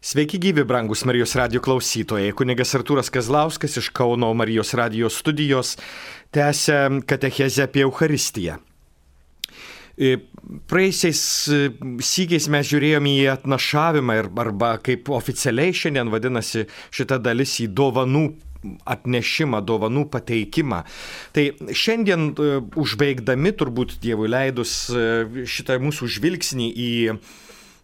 Sveiki gyvi, brangus Marijos radijo klausytojai. Kunigas Artūras Kazlauskas iš Kauno Marijos radijo studijos tęsia katechezę apie Eucharistiją. Praeisiais sykiais mes žiūrėjome į atnašavimą arba kaip oficialiai šiandien vadinasi šita dalis į dovanų atnešimą, dovanų pateikimą. Tai šiandien užbaigdami turbūt Dievui leidus šitą mūsų žvilgsnį į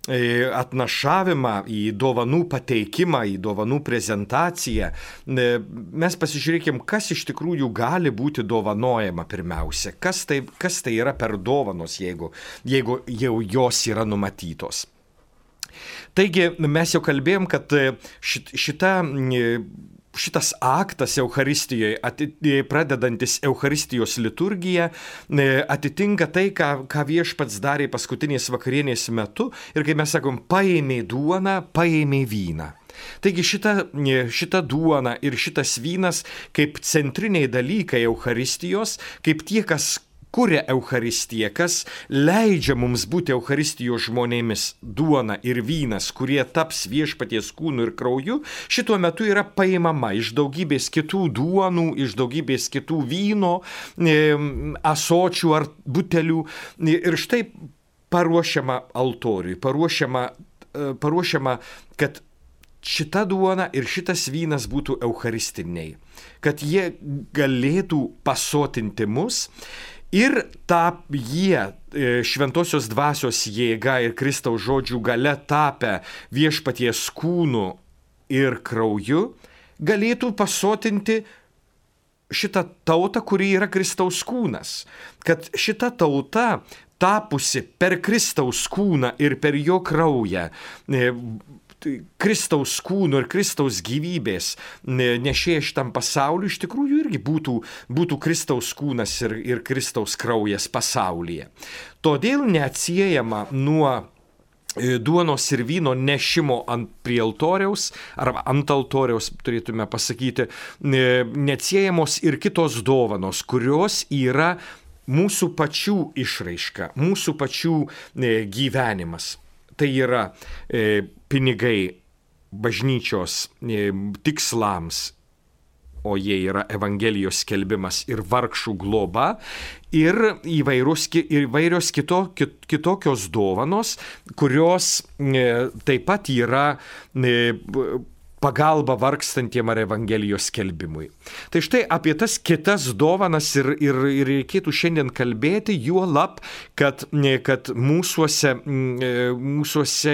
atnašavimą, į dovanų pateikimą, į dovanų prezentaciją, mes pasižiūrėkim, kas iš tikrųjų gali būti dovanojama pirmiausia, kas tai yra per dovanos, jeigu jau jos yra numatytos. Taigi mes jau kalbėjom, kad šitas aktas Eucharistijoje, pradedantis Eucharistijos liturgiją, atitinka tai, ką Viešpats darė paskutinės vakarienės metu ir kai mes sakom, paėmė duoną, paėmė vyną. Taigi šita duona ir šitas vynas kaip centriniai dalykai Eucharistijos, kaip tie, kas kuria Eucharistiją, kas leidžia mums būti Eucharistijos žmonėmis, duona ir vynas, kurie taps Viešpaties kūnu ir krauju, šituo metu yra paimama iš daugybės kitų duonų, iš daugybės kitų vyno, ąsočių ar butelių ir štai paruošiama altoriui, paruošiama, kad šita duona ir šitas vynas būtų eucharistiniai, kad jie galėtų pasotinti mus. Ir jie šventosios dvasios jėga ir Kristaus žodžių gale tapę Viešpaties kūnu ir krauju, galėtų pasotinti šitą tautą, kuri yra Kristaus kūnas. Kad šita tauta, tapusi per Kristaus kūną ir per jo kraują, Kristaus kūno ir Kristaus gyvybės nešėja šitam pasauliu, iš tikrųjų irgi būtų Kristaus kūnas ir Kristaus kraujas pasaulyje. Todėl neatsiejama nuo duonos ir vyno nešimo prie altoriaus, arba ant altoriaus, turėtume pasakyti, neatsiejamos ir kitos dovanos, kurios yra mūsų pačių išraiška, mūsų pačių gyvenimas. Tai yra pinigai bažnyčios tikslams, o jie yra Evangelijos skelbimas ir vargšų globa, ir įvairios kitokios dovanos, kurios taip pat yra pagalba vargstantiem ar Evangelijos skelbimui. Tai štai apie tas kitas dovanas ir reikėtų šiandien kalbėti, juolab, kad mūsuose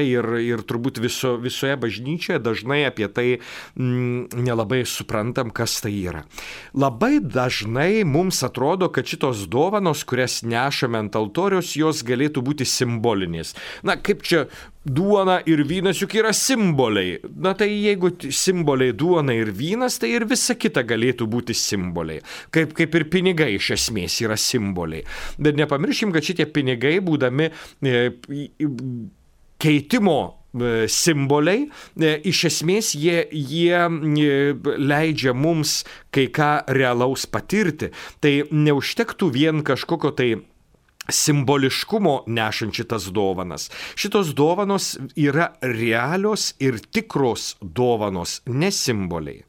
ir turbūt visoje bažnyčioje dažnai apie tai nelabai suprantam, kas tai yra. Labai dažnai mums atrodo, kad šitos dovanos, kurias nešame ant altoriaus, jos galėtų būti simbolinės. Na, kaip čia duona ir vynas juk yra simboliai. Na tai jeigu simboliai duona ir vynas, tai ir visa kita galėtų būti simboliai. Kaip ir pinigai iš esmės yra simboliai. Bet nepamirškim, kad šitie pinigai, būdami keitimo simboliai, iš esmės jie leidžia mums kai ką realaus patirti. Tai neužtektų vien kažkokio tai simboliškumo nešant šitas dovanas. Šitos dovanos yra realios ir tikros dovanos, ne simboliai.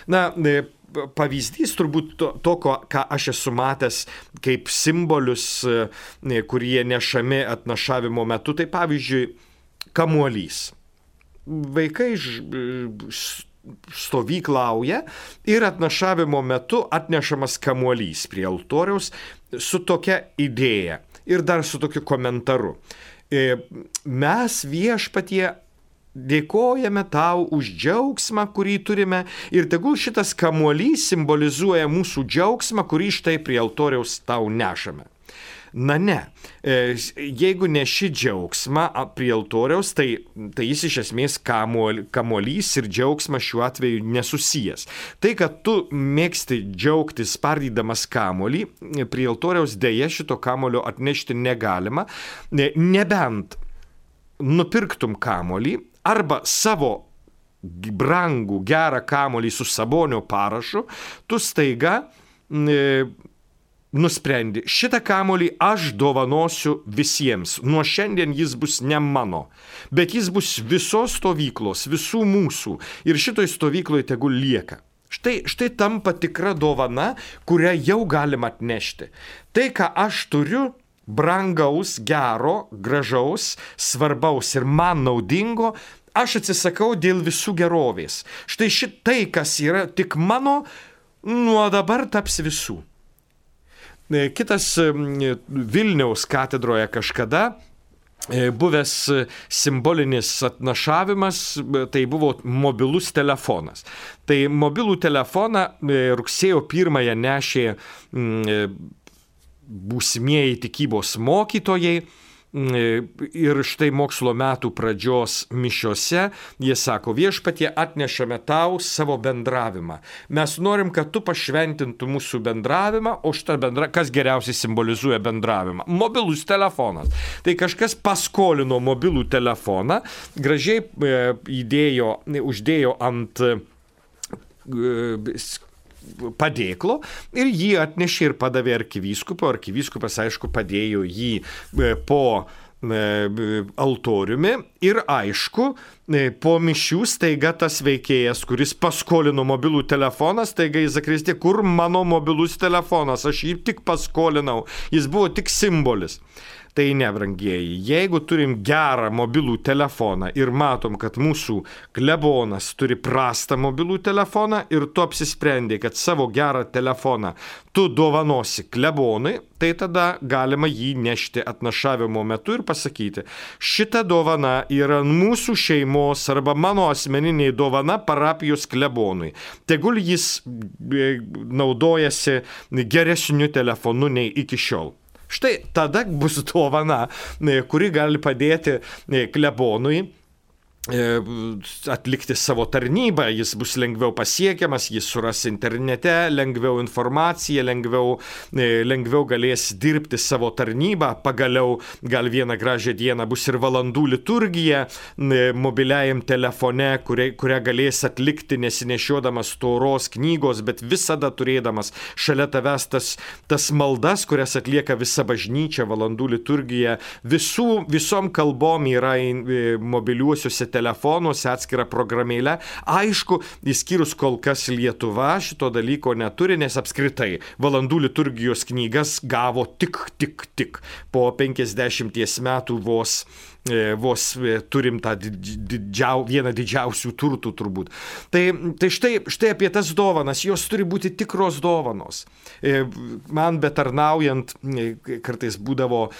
Na, pavyzdys turbūt to, ką aš esu matęs kaip simbolius, kurie nešami atnašavimo metu, tai pavyzdžiui, kamuolys. Vaikai stovyklauja ir atnašavimo metu atnešamas kamuolys prie altoriaus su tokia idėja ir dar su tokiu komentaru. Mes Viešpatie dėkojame tau už džiaugsmą, kurį turime ir tegul šitas kamuolys simbolizuoja mūsų džiaugsmą, kurį štai prie altoriaus tau nešame. Na ne, jeigu neši džiaugsmą prie altoriaus, tai jis iš esmės kamuolys ir džiaugsmas šiuo atveju nesusijęs. Tai, kad tu mėgsti džiaugtis spardydamas kamuolį, prie altoriaus dėja šito kamuolio atnešti negalima, nebent nupirktum kamuolį arba savo brangų gerą kamuolį su Sabonio parašu, tu staiga nusprendi, šitą kamuolį aš dovanosiu visiems. Nuo šiandien jis bus ne mano, bet jis bus visos stovyklos, visų mūsų. Ir šitoj stovykloje tegul lieka. Štai tampa tikra dovana, kurią jau galima atnešti. Tai, ką aš turiu, brangaus, gero, gražaus, svarbaus ir man naudingo, aš atsisakau dėl visų gerovės. Štai šitai, kas yra tik mano, nuo dabar taps visų. Kitas Vilniaus katedroje kažkada buvęs simbolinis atnašavimas, tai buvo mobilus telefonas. Tai mobilų telefoną rugsėjo 1 nešė būsimieji tikybos mokytojai. Ir štai mokslo metų pradžios mišiose jie sako, viešpatie, atnešame tau savo bendravimą. Mes norim, kad tu pašventintų mūsų bendravimą, o kas geriausiai simbolizuoja bendravimą? Mobilus telefonas. Tai kažkas paskolino mobilų telefoną, gražiai uždėjo ant padėklo ir jį atnešė ir padavė arkivyskupui. Arkivyskupas, aišku, padėjo jį po altoriumi ir aišku, po mišių staiga tas veikėjas, kuris paskolino mobilų telefoną, staiga į zakristiją, kur mano mobilus telefonas, aš jį tik paskolinau, jis buvo tik simbolis. Tai ne, brangieji, jeigu turim gerą mobilų telefoną ir matom, kad mūsų klebonas turi prastą mobilų telefoną ir tu apsisprendai, kad savo gerą telefoną tu dovanosi klebonui, tai tada galima jį nešti atnašavimo metu ir pasakyti, šita dovana yra mūsų šeimos arba mano asmeninė dovana parapijos klebonui. Tegul jis naudojasi geresniu telefonu nei iki šiol. Štai tada bus dovana, kuri gali padėti klebonui atlikti savo tarnybą, jis bus lengviau pasiekiamas, jis suras internete, lengviau informaciją, lengviau galės dirbti savo tarnybą, pagaliau gal vieną gražią dieną bus ir valandų liturgija mobiliajam telefone, kurią galės atlikti nesinešiodamas storos knygos, bet visada turėdamas šalia tavęs tas maldas, kurias atlieka visa bažnyčia, valandų liturgija, visom kalbom yra mobiliuosiuose telefonuose atskira programėlė. Aišku, išskyrus kol kas Lietuva šito dalyko neturi, nes apskritai valandų liturgijos knygas gavo tik po 50 metų vos turim tą vieną didžiausių turtų turbūt. Tai štai apie tas dovanas, jos turi būti tikros dovanos. Man betarnaujant, kartais būdavo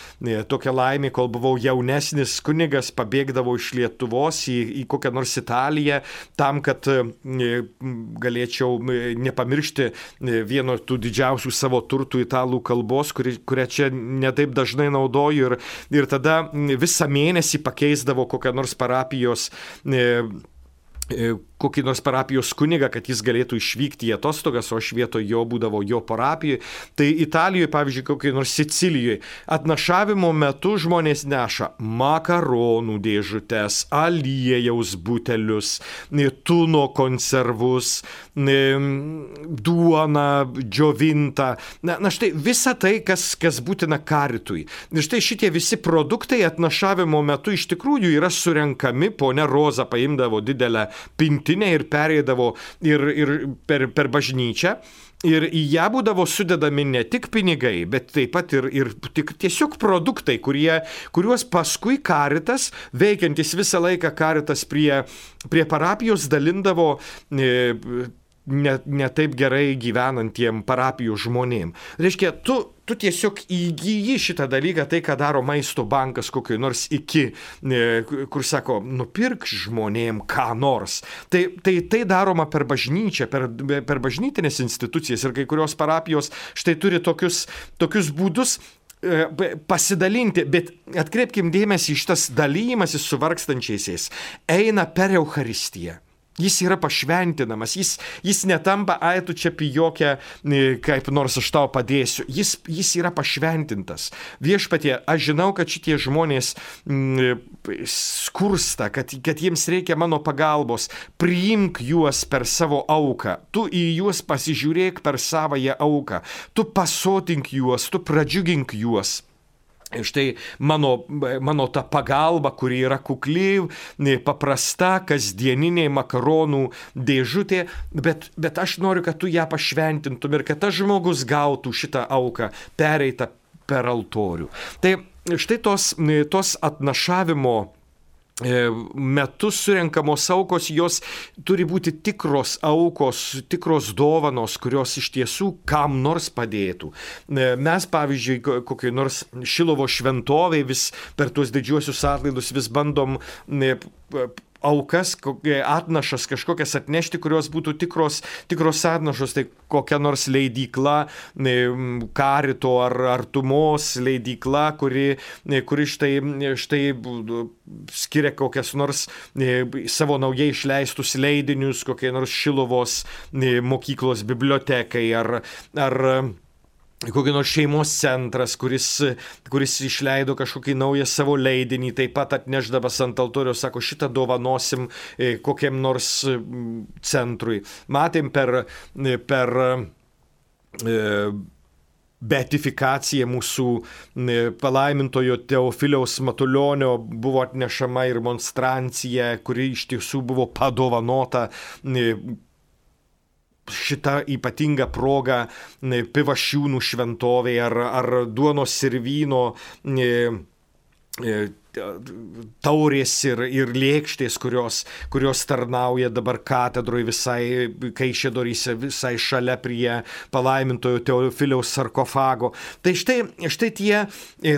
tokia laimė, kol buvau jaunesnis kunigas, pabėgdavau iš Lietuvos į kokią nors Italiją, tam, kad galėčiau nepamiršti vieno tų didžiausių savo turtų italų kalbos, kurią čia netaip dažnai naudoju ir tada visą mėnesį pakeisdavo kokią nors kokį nors parapijos kunigą, kad jis galėtų išvykti į atostogas, o aš vietoj jo būdavo jo parapijoje. Tai Italijoje, pavyzdžiui, kokiai nors Sicilijoje, atnašavimo metu žmonės neša makaronų dėžutes, aliejaus butelius, tuno konservus, duoną džiovintą. Na štai visa tai, kas būtina karitui. Ir štai šitie visi produktai atnašavimo metu iš tikrųjų yra surenkami, ponia Roza paimdavo didelę pintinę ir perėdavo ir per bažnyčią. Ir į ją būdavo sudedami ne tik pinigai, bet taip pat ir tiesiog produktai, kuriuos paskui Karitas, veikiantis visą laiką Karitas prie parapijos dalindavo ne taip gerai gyvenantiem parapijų žmonėm. Reiškia, tu tiesiog įgyji šitą dalyką, tai, ką daro maisto bankas kokioj nors kur sako, nupirk žmonėm ką nors. Tai daroma per bažnyčią, per bažnytinės institucijas ir kai kurios parapijos štai turi tokius būdus pasidalinti, bet atkreipkim dėmesį, šitas dalymasis su vargstančiaisiais eina per Eucharistiją. Jis yra pašventinamas, jis netampa, ai tu čia pijokia, kaip nors aš tau padėsiu. Jis yra pašventintas. Viešpatie, aš žinau, kad šitie žmonės skursta, kad jiems reikia mano pagalbos. Priimk juos per savo auką. Tu į juos pasižiūrėk per savąją auką. Tu pasotink juos, tu pradžiugink juos. Štai mano ta pagalba, kuri yra kukli, paprasta, kasdieninė makaronų dėžutė, bet aš noriu, kad tu ją pašventintum ir kad tas žmogus gautų šitą auką pereitą per altorių. Tai štai tos atnašavimo metu surenkamos aukos, jos turi būti tikros aukos, tikros dovanos, kurios iš tiesų kam nors padėtų. Mes, pavyzdžiui, kokiai nors Šilovo šventovėj vis per tuos didžiuosius atlaidus vis bandom aukas, atnašas kažkokias atnešti, kurios būtų tikros atnašos, tai kokia nors leidykla, Karito ar Artumos leidykla, kuri štai skiria kokias nors savo naujai išleistus leidinius, kokie nors Šilovos mokyklos bibliotekai ar kokį nors šeimos centras, kuris išleido kažkokį naują savo leidinį, taip pat atnešdamas ant altoriaus, sako, šitą dovanosim kokiam nors centrui. Matėm per beatifikacija mūsų palaimintojo Teofiliaus Matulionio buvo atnešama ir monstrancija, kuri iš tiesų buvo padovanota šitą ypatingą progą Pivašiūnų šventovėje ar duonos ir vyno taurės ir lėkštės, kurios tarnauja dabar katedroje visai Kaišiadoryse, visai šalia prie palaimintojo Teofiliaus sarkofago. Tai štai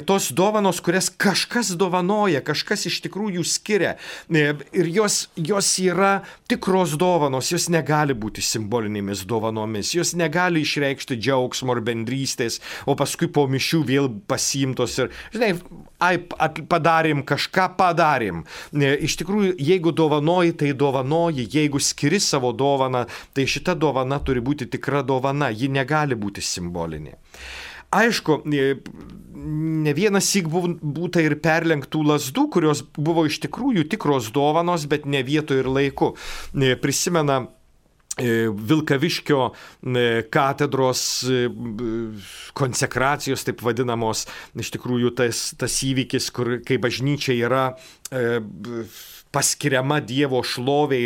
tos dovanos, kurias kažkas dovanoja, kažkas iš tikrųjų skiria. Ir jos yra tikros dovanos, jos negali būti simbolinėmis dovanomis, jos negali išreikšti džiaugsmo ar bendrystės, o paskui po mišių vėl pasiimtos ir, žinai, kažką padarėm. Iš tikrųjų, jeigu dovanoji, tai dovanoji, jeigu skiri savo dovaną, tai šita dovana turi būti tikra dovana, ji negali būti simbolinė. Aišku, ne vienas syk būta ir perlenktų lazdų, kurios buvo iš tikrųjų tikros dovanos, bet ne vietoje ir laiku. Prisimena Vilkaviškio katedros konsekracijos, taip vadinamos, iš tikrųjų tas įvykis, kai bažnyčia yra paskiriama Dievo šlovė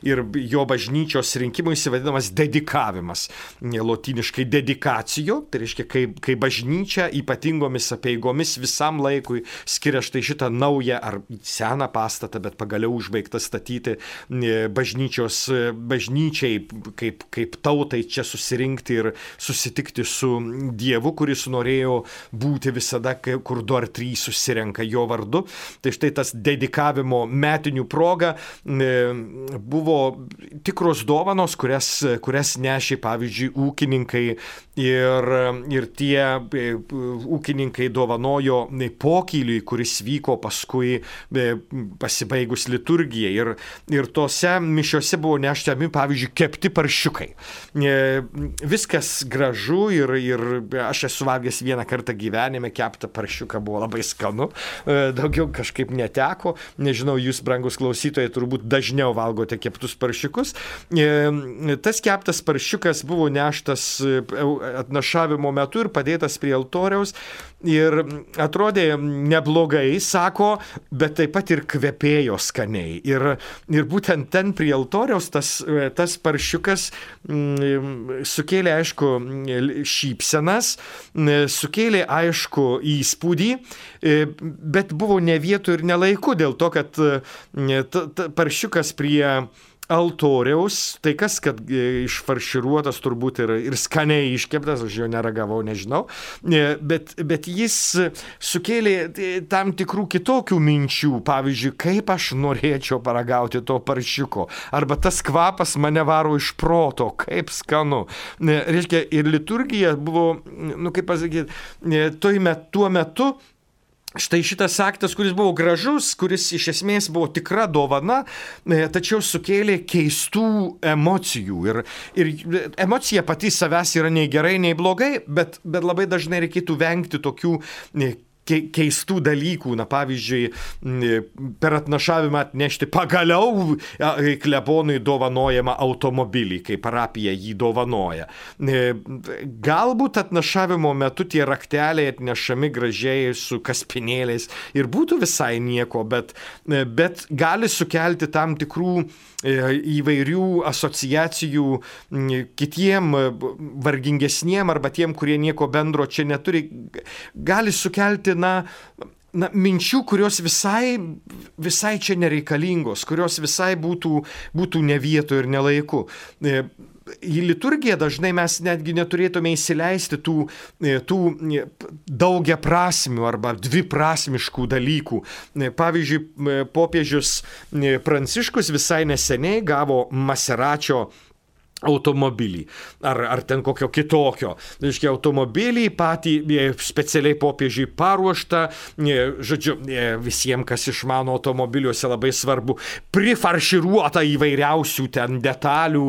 ir jo bažnyčios rinkimui įsivadinamas dedikavimas. Lotyniškai dedikacijo, tai reiškia, kai bažnyčia ypatingomis apeigomis visam laikui skiria štai šitą naują ar seną pastatą, bet pagaliau užbaigtą statyti bažnyčiai kaip tautai čia susirinkti ir susitikti su Dievu, kuris norėjo būti visada, kur 2 ar 3 susirenka jo vardu. Tai štai tas dedikavimo proga buvo tikros dovanos, kurias nešė, pavyzdžiui, ūkininkai ir tie ūkininkai dovanojo pokyliui, kuris vyko paskui pasibaigus liturgijai. Ir tose mišiose buvo neštami, pavyzdžiui, kepti paršiukai. Viskas gražu ir aš esu valgęs vieną kartą gyvenime, keptą paršiuką buvo labai skanu, daugiau kažkaip neteko. Nežinau, jūs, brangus klausytojai, turbūt dažniau valgote keptus paršiukus. Tas keptas paršiukas buvo neštas atnašavimo metu ir padėtas prie altoriaus ir atrodė neblogai, sako, bet taip pat ir kvepėjo skaniai. Ir būtent ten prie altoriaus tas paršiukas sukėlė, aišku, šypsenas, sukėlė, aišku, įspūdį, bet buvo ne vietų ir ne laiku, dėl to, kad paršiukas prie altoriaus, tai kas, kad išfarširuotas turbūt ir skaniai iškeptas, aš jo neragavau, nežinau, bet jis sukėlė tam tikrų kitokių minčių, pavyzdžiui, kaip aš norėčiau paragauti to paršiuko, arba tas kvapas mane varo iš proto, kaip skanu. Reiškia, ir liturgija buvo, kaip pasakyti, tuo metu štai šitas aktas, kuris buvo gražus, kuris iš esmės buvo tikra dovana, tačiau sukėlė keistų emocijų. Ir emocija pati savęs yra nei gerai, nei blogai, bet labai dažnai reikėtų vengti tokių keistų dalykų, pavyzdžiui, per atnašavimą atnešti pagaliau klebonui dovanojamą automobilį, kai parapija jį dovanoja. Galbūt atnašavimo metu tie rakteliai atnešami gražiai su kaspinėliais ir būtų visai nieko, bet gali sukelti tam tikrų įvairių asociacijų kitiem vargingesniem arba tiem, kurie nieko bendro čia neturi, gali sukelti minčių, kurios visai čia nereikalingos, kurios visai būtų ne vietoje ir ne laiku. Į liturgiją dažnai mes netgi neturėtume įsileisti tų daugiaprasmių arba dviprasmiškų dalykų. Pavyzdžiui, popiežius Pranciškus visai neseniai gavo Maseračio automobilį, ar ten kokio kitokio. Reiškia, automobilį patį specialiai popiežiui paruoštą, žodžiu, visiems, kas išmano automobiliuose, labai svarbu, prifarširuota įvairiausių ten detalių,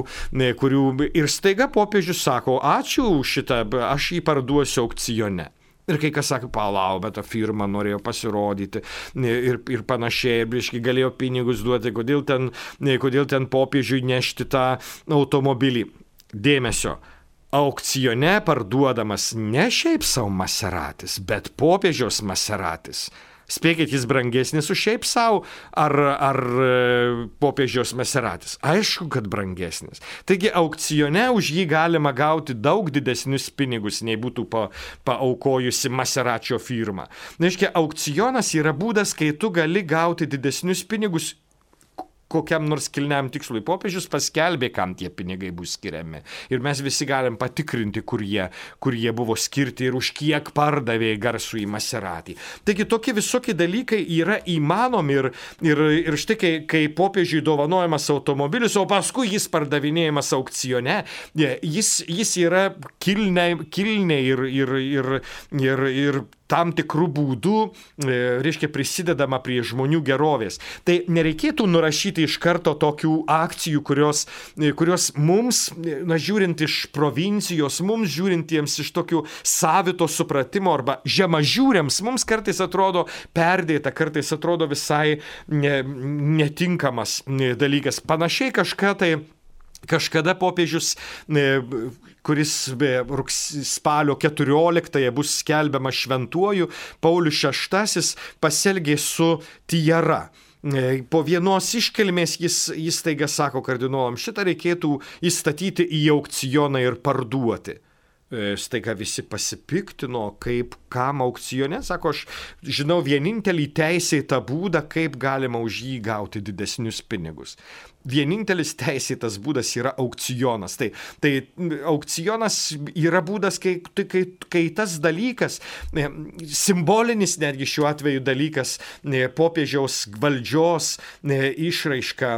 kurių ir staiga popiežius sako, ačiū šitą, aš jį parduosiu aukcione. Ir kai kas sako, palau, bet ta firma norėjo pasirodyti ir panašiai, ir galėjo pinigus duoti, kodėl ten popiežiui nešti tą automobilį. Dėmesio, aukcione parduodamas ne šiaip savo Maseratis, bet popiežiaus Maseratis. Spėkit, jis brangesnis už šiaip savo ar popiežiaus Maseratis? Aišku, kad brangesnis. Taigi aukcione už jį galima gauti daug didesnius pinigus, nei būtų paaukojusi Maseračio firma. Reiškia, aukcionas yra būdas, kai tu gali gauti didesnius pinigus kokiam nors kilniam tikslui. Popiežius paskelbė, kam tie pinigai bus skiriami. Ir mes visi galim patikrinti, kur jie buvo skirti ir už kiek pardavė garsų į Maseratį. Taigi tokie visokie dalykai yra įmanomi ir štai kai popiežiui dovanojamas automobilis, o paskui jis pardavinėjamas aukcione, jis yra kilniai ir tam tikrų būdų, reiškia, prisidedama prie žmonių gerovės. Tai nereikėtų nurašyti iš karto tokių akcijų, kurios mums, žiūrint iš provincijos, mums žiūrintiems iš tokių savito supratimo arba žemažiūriams, mums kartais atrodo perdėta, kartais atrodo visai netinkamas dalykas. Panašiai kažkada popiežius, kuris spalio 14 bus skelbiamas šventuoju, Paulius VI pasielgė su tiara. Po vienos iškilmės jis taiga sako kardinolam, šitą reikėtų įstatyti į aukcioną ir parduoti. Staiga visi pasipiktino, kam aukcione, sako, aš žinau vienintelį teisėtą būdą, kaip galima už jį gauti didesnius pinigus. Vienintelis teisėtas būdas yra aukcionas. Tai aukcionas yra būdas, kai tas dalykas, simbolinis netgi šiuo atveju dalykas, popiežiaus valdžios išraiška,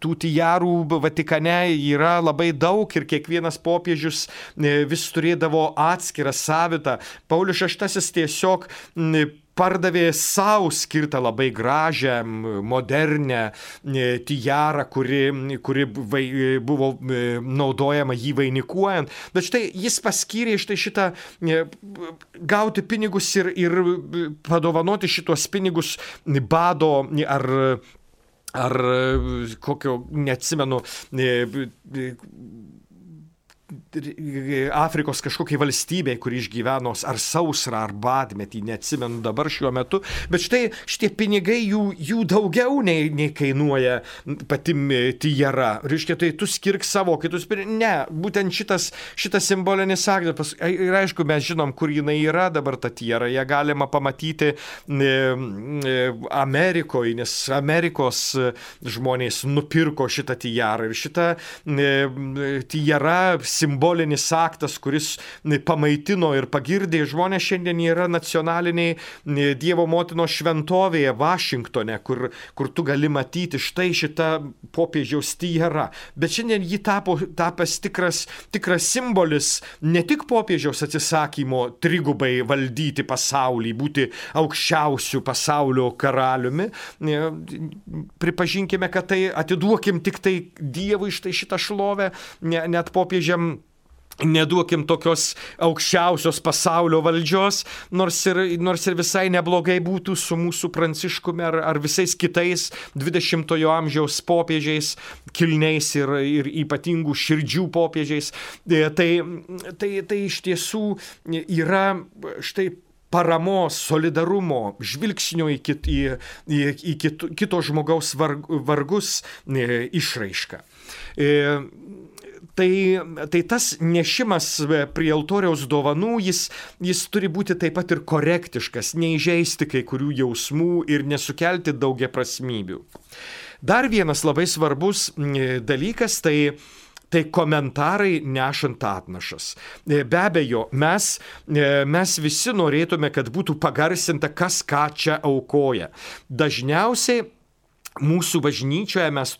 tų tijarų Vatikane yra labai daug ir kiekvienas popiežius vis turėdavo atskirą savitą. Paulius VI tiesiog pardavė savo skirtą labai gražią, modernę tijarą, kuri buvo naudojama jį vainikuojant. Bet štai jis paskyrė šitą gauti pinigus ir padovanoti šitos pinigus bado ar kokio, neatsimenu, Afrikos kažkokiai valstybei, kuri išgyveno ar sausrą, ar badmetį, neatsimenu dabar šiuo metu, bet štai šitie pinigai jų daugiau nei kainuoja pati tijara. Reiškia, tai tu skirk savo kitus pinigus. Ne, būtent šitas simbolinis aktas. Ir aišku, mes žinom, kur jinai yra dabar ta tijara. Ją galima pamatyti Amerikoje, nes Amerikos žmonės nupirko šitą tijarą. Ir šitą tijara simbolinis aktas, kuris pamaitino ir pagirdė. Žmonės šiandien yra nacionaliniai Dievo motinos šventovėje Vašingtone, kur tu gali matyti štai šitą popiežiaus tierą. Bet šiandien ji tapęs tikras simbolis ne tik popiežiaus atsisakymo trigubai valdyti pasaulį, būti aukščiausių pasaulio karaliumi. Pripažinkime, kad tai atiduokim tik tai Dievui štai šitą šlovę, net popiežiam neduokim tokios aukščiausios pasaulio valdžios, nors ir visai neblogai būtų su mūsų Pranciškumi ar visais kitais 20-ojo amžiaus popiežiais, kilniais ir ypatingų širdžių popiežiais. Tai iš tiesų yra štai paramos, solidarumo, žvilgsnio į kito žmogaus vargus išraiška. Tai tas nešimas prie altoriaus dovanų, jis turi būti taip pat ir korektiškas, neįžeisti kai kurių jausmų ir nesukelti daugiaprasmybių. Dar vienas labai svarbus dalykas, tai komentarai nešant atnašas. Be abejo, mes visi norėtume, kad būtų pagarsinta, kas ką čia aukoja. Dažniausiai mūsų bažnyčioje mes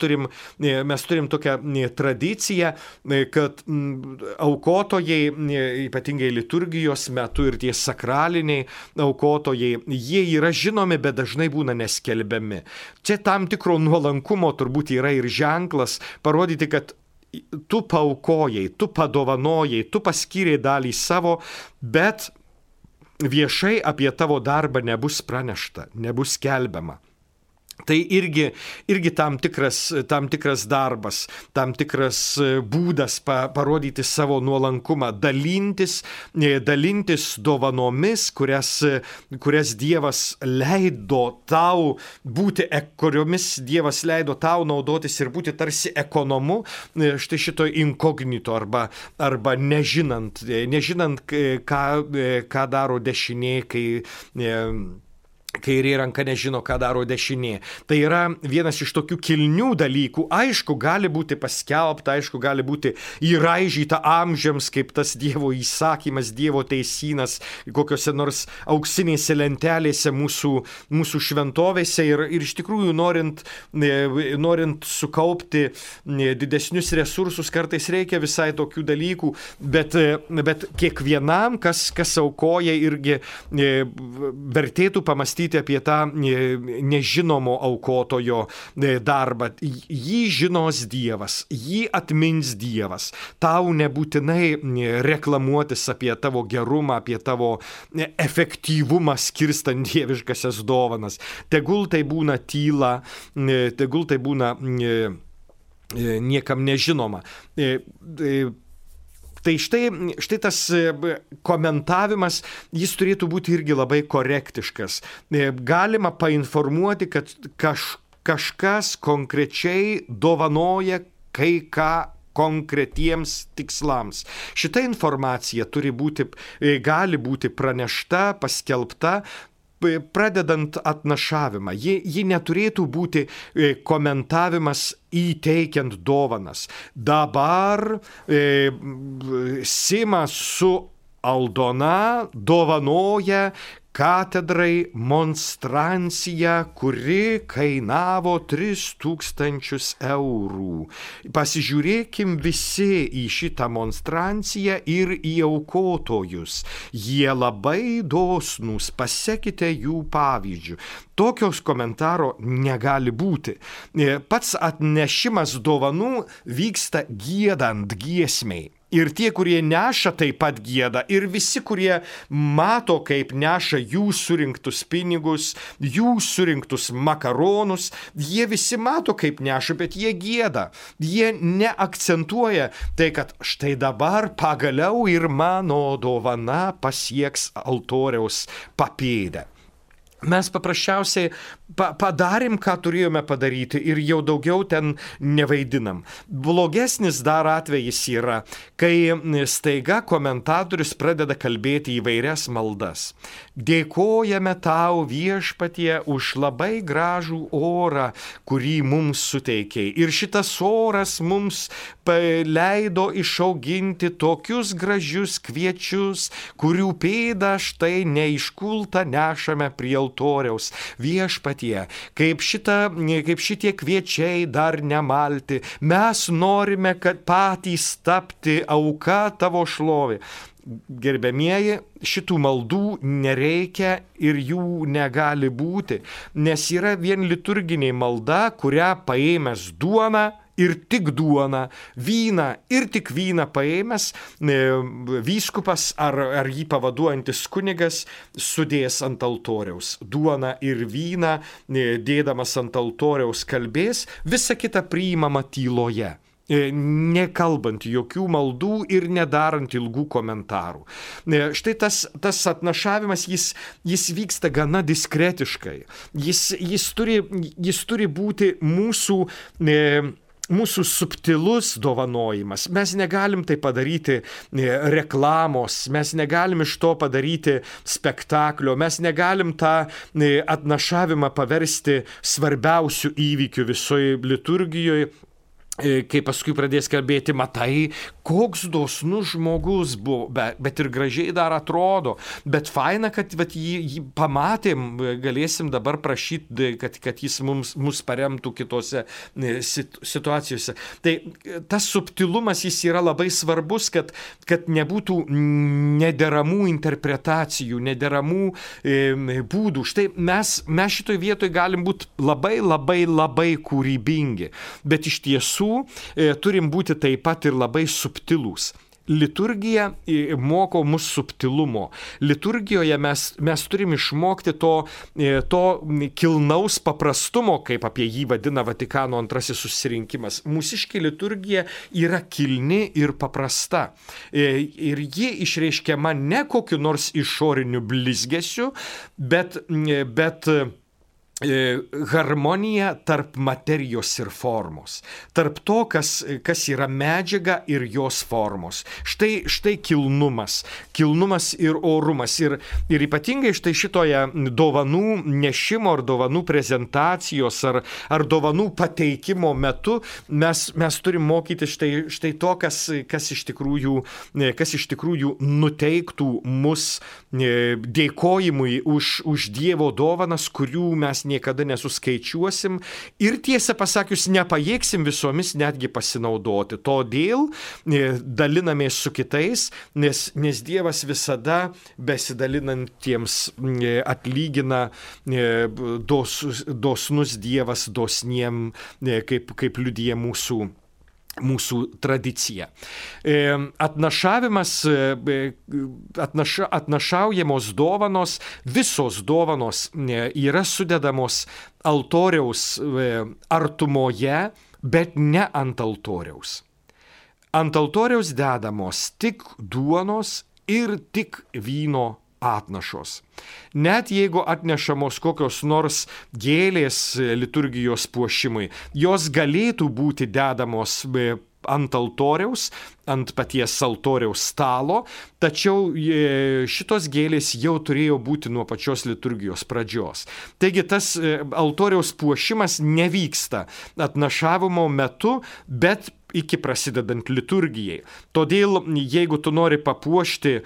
turim tokią tradiciją, kad aukotojai, ypatingai liturgijos metu ir tie sakraliniai aukotojai, jie yra žinomi, bet dažnai būna neskelbiami. Čia tam tikro nuolankumo turbūt yra ir ženklas parodyti, kad tu paaukojai, tu padovanojai, tu paskyrei dalį savo, bet viešai apie tavo darbą nebus pranešta, nebus skelbiama. Tai irgi tam tikras darbas, tam tikras būdas parodyti savo nuolankumą, dalintis dovanomis, kurias Dievas leido tau būti, kuriomis Dievas leido tau naudotis ir būti tarsi ekonomu, štai šito inkognito arba nežinant, ką daro dešinė, kairė ranka nežino, ką daro dešinė. Tai yra vienas iš tokių kilnių dalykų. Aišku, gali būti paskelbta, aišku, gali būti įraižyta amžiams, kaip tas Dievo įsakymas, Dievo teisynas, kokiose nors auksinėse lentelėse mūsų šventovėse. Ir iš tikrųjų, norint sukaupti didesnius resursus, kartais reikia visai tokių dalykų, bet kiekvienam, kas aukoja, irgi vertėtų pamastyti apie tą nežinomo aukotojo darbą. Jį žinos Dievas, jį atmins Dievas. Tau nebūtinai reklamuotis apie tavo gerumą, apie tavo efektyvumą skirstant dieviškasias dovanas. Tegul tai būna tyla, tegul tai būna niekam nežinoma. Tai štai tas komentavimas, jis turėtų būti irgi labai korektiškas. Galima painformuoti, kad kažkas konkrečiai dovanoja kai ką konkretiems tikslams. Šita informacija gali būti pranešta, paskelbta, pradedant atnašavimą. Ji neturėtų būti komentavimas įteikiant dovanas. Dabar Simas su Aldona dovanoja katedrai monstranciją, kuri kainavo 3000 eurų. Pasižiūrėkim visi į šitą monstranciją ir į aukotojus. Jie labai dosnūs, pasekite jų pavyzdžių. Tokios komentaro negali būti. Pats atnešimas dovanų vyksta giedant giesmei. Ir tie, kurie neša, taip pat gieda. Ir visi, kurie mato, kaip neša jų surinktus pinigus, jų surinktus makaronus, jie visi mato, kaip neša, bet jie gieda. Jie neakcentuoja tai, kad štai dabar pagaliau ir mano dovana pasieks altoriaus papėdę. Mes paprasčiausiai padarėm, ką turėjome padaryti ir jau daugiau ten nevaidinam. Blogesnis dar atvejis yra, kai staiga komentatorius pradeda kalbėti įvairias maldas. Dėkojame tau, Viešpatie, už labai gražų orą, kurį mums suteikė. Ir šitas oras mums leido išauginti tokius gražius kviečius, kurių pėdą štai neiškultą nešame prie altoriaus. Viešpatie, kaip šitie kviečiai dar nemalti, mes norime, kad patys tapti auka tavo šlovė. Gerbiamieji, šitų maldų nereikia ir jų negali būti, nes yra vien liturginė malda, kurią paėmęs duoną ir tik duoną, vyną ir tik vyną paėmęs, vyskupas ar jį pavaduojantis kunigas sudės ant altoriaus. Duoną ir vyną dėdamas ant altoriaus kalbės, visa kita priimama tyloje, nekalbant jokių maldų ir nedarant ilgų komentarų. Štai tas atnašavimas, jis vyksta gana diskretiškai. Jis turi būti mūsų subtilus dovanojimas. Mes negalim tai padaryti reklamos, mes negalim iš to padaryti spektaklio, mes negalim tą atnašavimą paversti svarbiausių įvykių visoje liturgijoje. Kai paskui pradės kalbėti, matai, koks dosnus žmogus buvo, bet ir gražiai dar atrodo, bet faina, kad jį pamatėm, galėsim dabar prašyti, kad jis mus paremtų kitose situacijose. Tai tas subtilumas jis yra labai svarbus, kad nebūtų nederamų interpretacijų, nederamų būdų. Štai mes šitoj vietoj galim būti labai kūrybingi, bet iš tiesų turim būti taip pat ir labai subtilūs. Liturgija moko mus subtilumo. Liturgijoje mes turim išmokti to kilnaus paprastumo, kaip apie jį vadina Vatikano antrasis susirinkimas. Mūsiškė liturgija yra kilni ir paprasta. Ir ji išreiškiama ne kokiu nors išoriniu blizgesiu, bet harmonija tarp materijos ir formos, tarp to, kas yra medžiaga ir jos formos. Štai kilnumas ir orumas. Ir ypatingai štai šitoje dovanų nešimo ar dovanų prezentacijos ar dovanų pateikimo metu mes turim mokyti štai to, kas iš tikrųjų nuteiktų mus dėkojimui už Dievo dovanas, kurių mes niekada nesuskaičiuosim ir tiesą pasakius nepajėgsim visomis netgi pasinaudoti. Todėl dalinamės su kitais, nes Dievas visada besidalinantiems atlygina, dosnus Dievas dosniem, kaip liudija mūsų tradicija. Atnašaujamos dovanos, visos dovanos yra sudedamos altoriaus artumoje, bet ne ant altoriaus. Ant altoriaus dedamos tik duonos ir tik vyno atnašos. Net jeigu atnešamos kokios nors gėlės liturgijos puošimui, jos galėtų būti dedamos ant altoriaus, ant paties altoriaus stalo, tačiau šitos gėlės jau turėjo būti nuo pačios liturgijos pradžios. Taigi tas altoriaus puošimas nevyksta atnašavimo metu, bet iki prasidedant liturgijai. Todėl, jeigu tu nori papuošti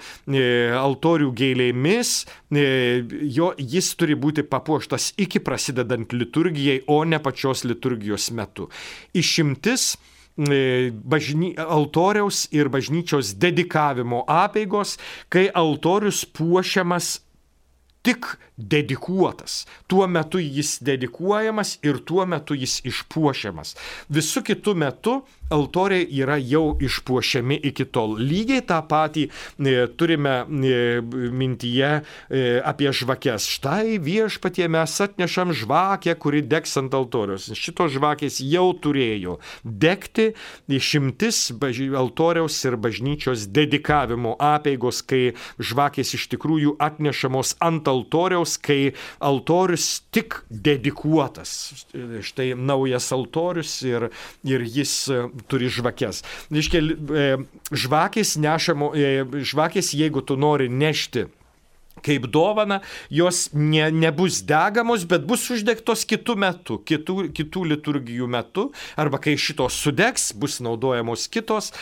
altorių gėlėmis, jis turi būti papuoštas iki prasidedant liturgijai, o ne pačios liturgijos metu. Išimtis altoriaus ir bažnyčios dedikavimo apeigos, kai altorius puošiamas tik dedikuotas. Tuo metu jis dedikuojamas ir tuo metu jis išpuošiamas. Visų kitų metų altoriai yra jau išpuošiami iki tol. Lygiai tą patį turime mintyje apie žvakes. Štai Viešpatie mes atnešam žvakę, kuri degs ant altoriaus. Šitos žvakės jau turėjo degti. Išimtis altoriaus ir bažnyčios dedikavimo apeigos, kai žvakės iš tikrųjų atnešamos ant altoriaus altoriaus, kai altorius tik dedikuotas. Štai naujas altorius ir jis turi žvakes. Žvakės, jeigu tu nori nešti kaip dovana, jos nebus degamos, bet bus uždegtos kitų metų, kitų liturgijų metu, arba kai šitos sudegs, bus naudojamos kitos.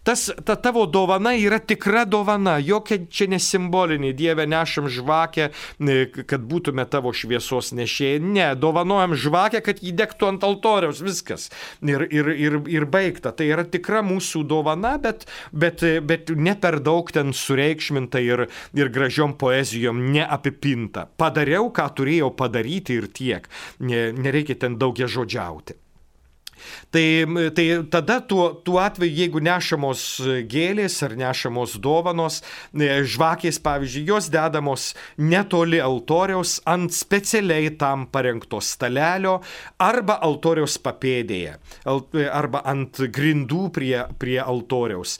Ta tavo dovana yra tikra dovana, jokia čia nesimbolinė. Dieve, nešam žvakę, kad būtume tavo šviesos nešėjai. Ne, dovanojam žvakę, kad jį degtų ant altoriaus, viskas. Ir baigta. Tai yra tikra mūsų dovana, bet ne per daug ten sureikšminta ir gražiom poezijom neapipinta. Padariau, ką turėjau padaryti ir tiek. Nereikia ten daugia žodžiauti. Tai tada tuo atveju, jeigu nešamos gėlės ar nešamos dovanos, žvakės, pavyzdžiui, jos dedamos netoli altoriaus ant specialiai tam parengto stalelio arba altoriaus papėdėje, arba ant grindų prie altoriaus.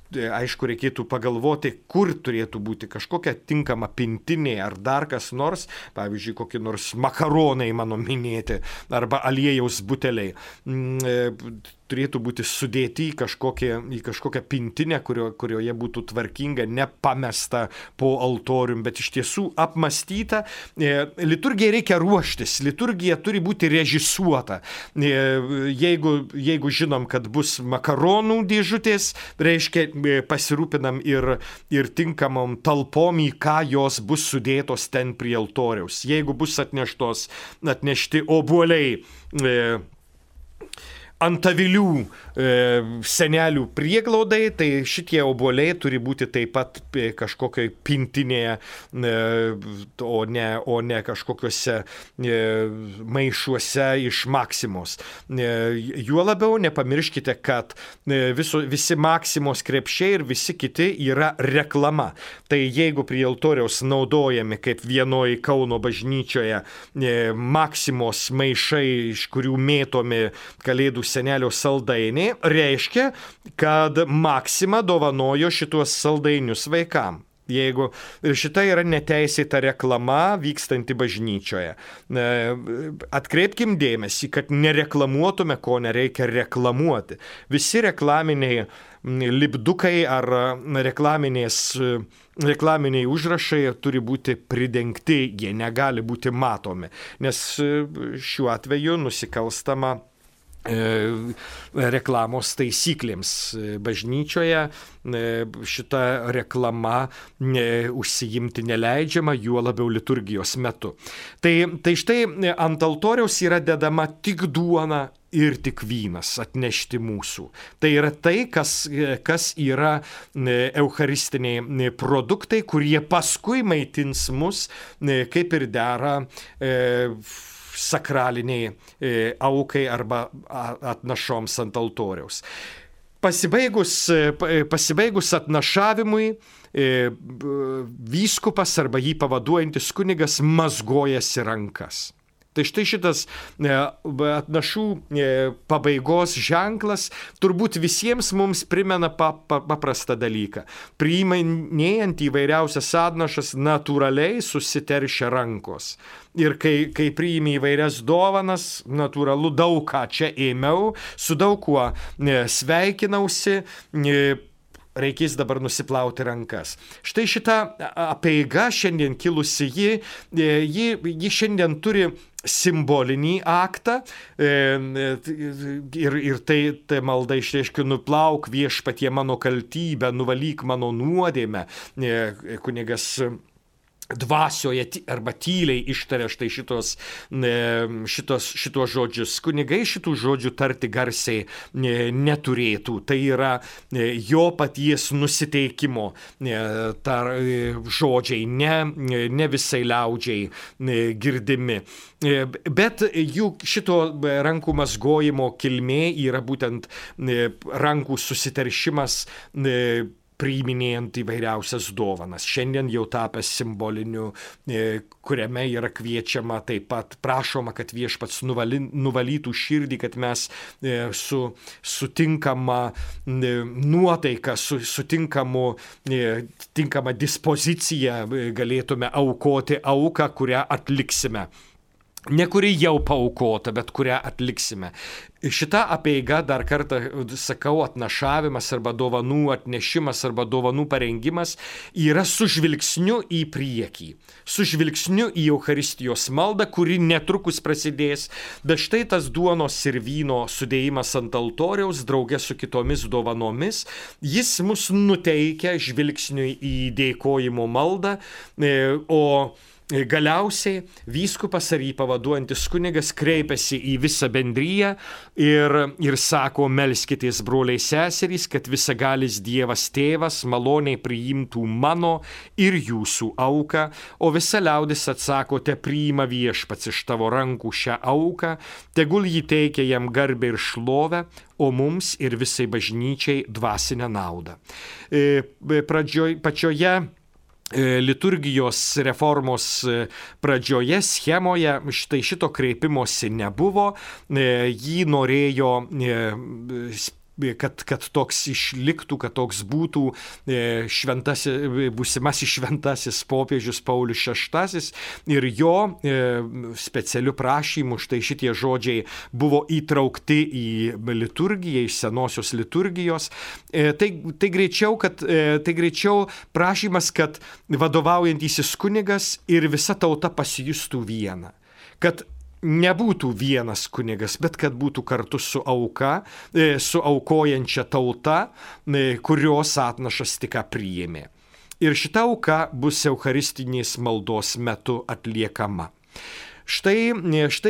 Aišku, reikėtų pagalvoti, kur turėtų būti kažkokia tinkama pintinė ar dar kas nors, pavyzdžiui, kokie nors makaronai mano minėti, arba aliejaus buteliai. Turėtų būti sudėti į kažkokią pintinę, kurioje būtų tvarkinga, nepamesta po altorium, bet iš tiesų apmastyta. Liturgijai reikia ruoštis, liturgija turi būti režisuota. Jeigu žinom, kad bus makaronų dėžutės, reiškia pasirūpinam ir tinkamom talpom, į ką jos bus sudėtos ten prie altoriaus. Jeigu bus atnešti obuoliai antavilių senelių prieglaudai, tai šitie obuoliai turi būti taip pat kažkokioj pintinėje, o ne kažkokiuose maišuose iš Maksimos. Juo labiau nepamirškite, kad visi Maksimos krepšiai ir visi kiti yra reklama. Tai jeigu prie altoriaus naudojami, kaip vienoje Kauno bažnyčioje, Maksimos maišai, iš kurių mėtomi Kalėdų senelio saldainiai, reiškia, kad Maksima dovanojo šituos saldainius vaikam. Ir šita yra neteisėta reklama vykstanti bažnyčioje. Atkreipkim dėmesį, kad nereklamuotume, ko nereikia reklamuoti. Visi reklaminiai lipdukai ar reklaminiai užrašai turi būti pridengti, jie negali būti matomi, nes šiuo atveju nusikalstama reklamos taisyklėms. Bažnyčioje šita reklama užsiimti neleidžiama, juo labiau liturgijos metu. Tai štai ant altoriaus yra dedama tik duona ir tik vynas atnešti mūsų. Tai yra tai, kas yra eucharistiniai produktai, kurie paskui maitins mus, kaip ir dera sakraliniai aukai arba atnašoms ant altoriaus. Pasibaigus atnašavimui, vyskupas arba jį pavaduojantis kunigas mazgojasi rankas. Tai štai šitas atnašų pabaigos ženklas turbūt visiems mums primena paprastą dalyką. Priiminėjant įvairiausias atnašas, natūraliai susiteršia rankos. Ir kai priimi įvairias dovanas, natūralu, daug ką čia ėmiau, su daug kuo sveikinausi, reikės dabar nusiplauti rankas. Štai šita apeiga šiandien kilusi, ji šiandien turi simbolinį aktą ir tai malda išreiškia: nuplauk viešpatie mano kaltybę, nuvalyk mano nuodėmę. Kunigas dvasioje arba tyliai ištaria štai šitos žodžius. Kunigai šitų žodžių tarti garsiai neturėtų. Tai yra jo paties nusiteikimo žodžiai, ne visai liaudžiai girdimi. Bet juk šito rankų mazgojimo kilmė yra būtent rankų susiteršimas priiminėjant įvairiausias dovanas. Šiandien jau tapęs simboliniu, kuriame yra kviečiama taip pat, prašoma, kad viešpats nuvalytų širdį, kad mes sutinkama nuotaika, tinkama dispozicija galėtume aukoti auką, kurią atliksime. Ne kuri jau paaukota, bet kurią atliksime. Šita apeiga, dar kartą sakau, atnašavimas arba dovanų atnešimas arba dovanų parengimas yra su žvilgsniu į priekį, su žvilgsniu į Eucharistijos maldą, kuri netrukus prasidės, bet štai tas duonos ir vyno sudėjimas ant altoriaus drauge su kitomis dovanomis, jis mus nuteikia žvilgsniui į dėkojimo maldą, o galiausiai vyskupas ar jį pavaduojantis kunigas kreipiasi į visą bendriją ir sako, melskitės broliai seserys, kad visagalis Dievas Tėvas maloniai priimtų mano ir jūsų auką, o visa liaudis atsako, te priima viešpats iš tavo rankų šią auką, tegul jį teikia jam garbę ir šlovę, o mums ir visai bažnyčiai dvasinę naudą. Pačioje liturgijos reformos pradžioje schemoje štai šito kreipimosi nebuvo, jį norėjo kad toks išliktų, kad toks būtų būsimasis šventasis popiežius Paulius VI ir jo specialiu prašymu štai šitie žodžiai buvo įtraukti į liturgiją, iš senosios liturgijos. Tai greičiau prašymas, kad vadovaujantysis kunigas ir visa tauta pasijustų viena. Kad nebūtų vienas kunigas, bet kad būtų kartu su aukojančia tauta, kurios atnašas tik priėmė. Ir šita auka bus eucharistinės maldos metu atliekama. Štai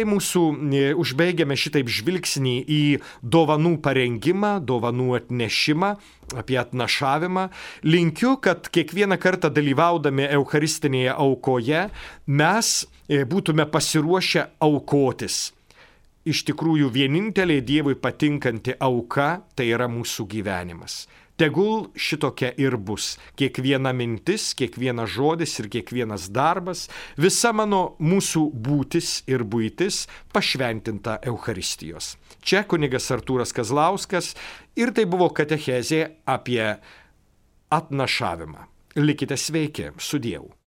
mūsų užbaigiame šitaip žvilgsnį į dovanų parengimą, dovanų atnešimą, apie atnašavimą. Linkiu, kad kiekvieną kartą dalyvaudami eucharistinėje aukoje mes būtume pasiruošę aukotis. Iš tikrųjų, vienintelė Dievui patinkanti auka tai yra mūsų gyvenimas. Tegul šitokia ir bus. Kiekviena mintis, kiekvienas žodis ir kiekvienas darbas, visa mūsų būtis ir buitis pašventinta Eucharistijos. Čia kunigas Artūras Kazlauskas ir tai buvo katechezė apie atnašavimą. Likite sveiki, su Dievu.